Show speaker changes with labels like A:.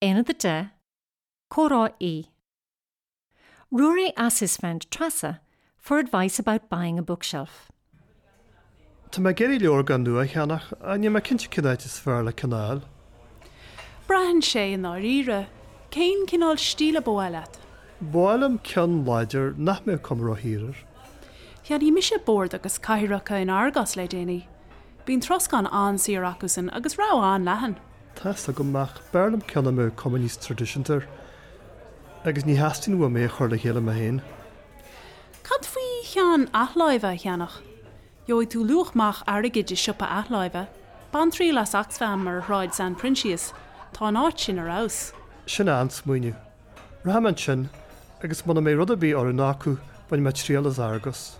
A: Aonad 10, Comhrá E. Ruairí asks his friend Treasa for advice about buying a bookshelf.
B: Tá mé ag iarraidh leabhragán nua a cheannach ach níl mé cinnte cén áit is fearr le ceann a fháil.
C: Braitheann sé i ndáiríre. Cén cineál stíle ba mhaith leat?
B: Ba mhaith liom ceann láidir nach mbeadh cuma ródhaor air.
C: Cheannaigh mise bord agus cathaoireacha in Argos le déanaí. Bíonn troscán an-saor acusan agus rogha an-leathan.
B: Tá's agam, ach b'fhearr liom ceann a mbeadh cuma níos traidisiúnta air. Agus ní theastaíonn uaim é a chur le chéile mé féin.
C: Cad faoi cheann athláimhe a cheannach? Gheobhaidh tú luach maith airgid i siopa athláimhe. Bain triail as Oxfam ar Shráid San Proinsias, tá an áit sin ar fheabhas.
B: Sin an-smaoineamh. Rachaidh mé ansin, agus muna mbeidh rud ar bith oiriúnach acu, bainfidh mé triail as Argos.